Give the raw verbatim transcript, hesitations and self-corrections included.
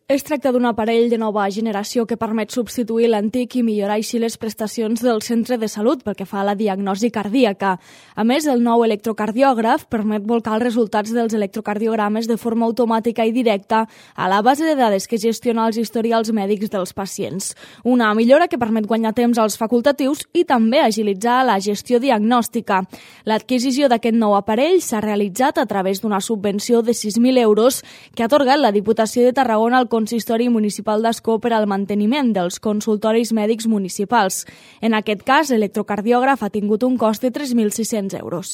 Es tracta d'un aparell de nova generació que permet substituir l'antic i millorar així les prestacions del centre de salut pel que fa a la diagnosi cardíaca. A més, el nou electrocardiògraf permet volcar els resultats dels electrocardiogrames de forma automàtica i directa a la base de dades que gestiona els historials mèdics dels pacients. Una millora que permet guanyar temps als facultatius i també agilitzar la gestió diagnòstica. L'adquisició d'aquest nou aparell s'ha realitzat a través d'una subvenció de sis mil euros que ha atorgat la Diputació de Tarragona al Consistori Municipal d'Ascó per al manteniment dels consultoris mèdics municipals. En aquest cas, l'electrocardiògraf ha tingut un cost de tres mil sis-cents euros.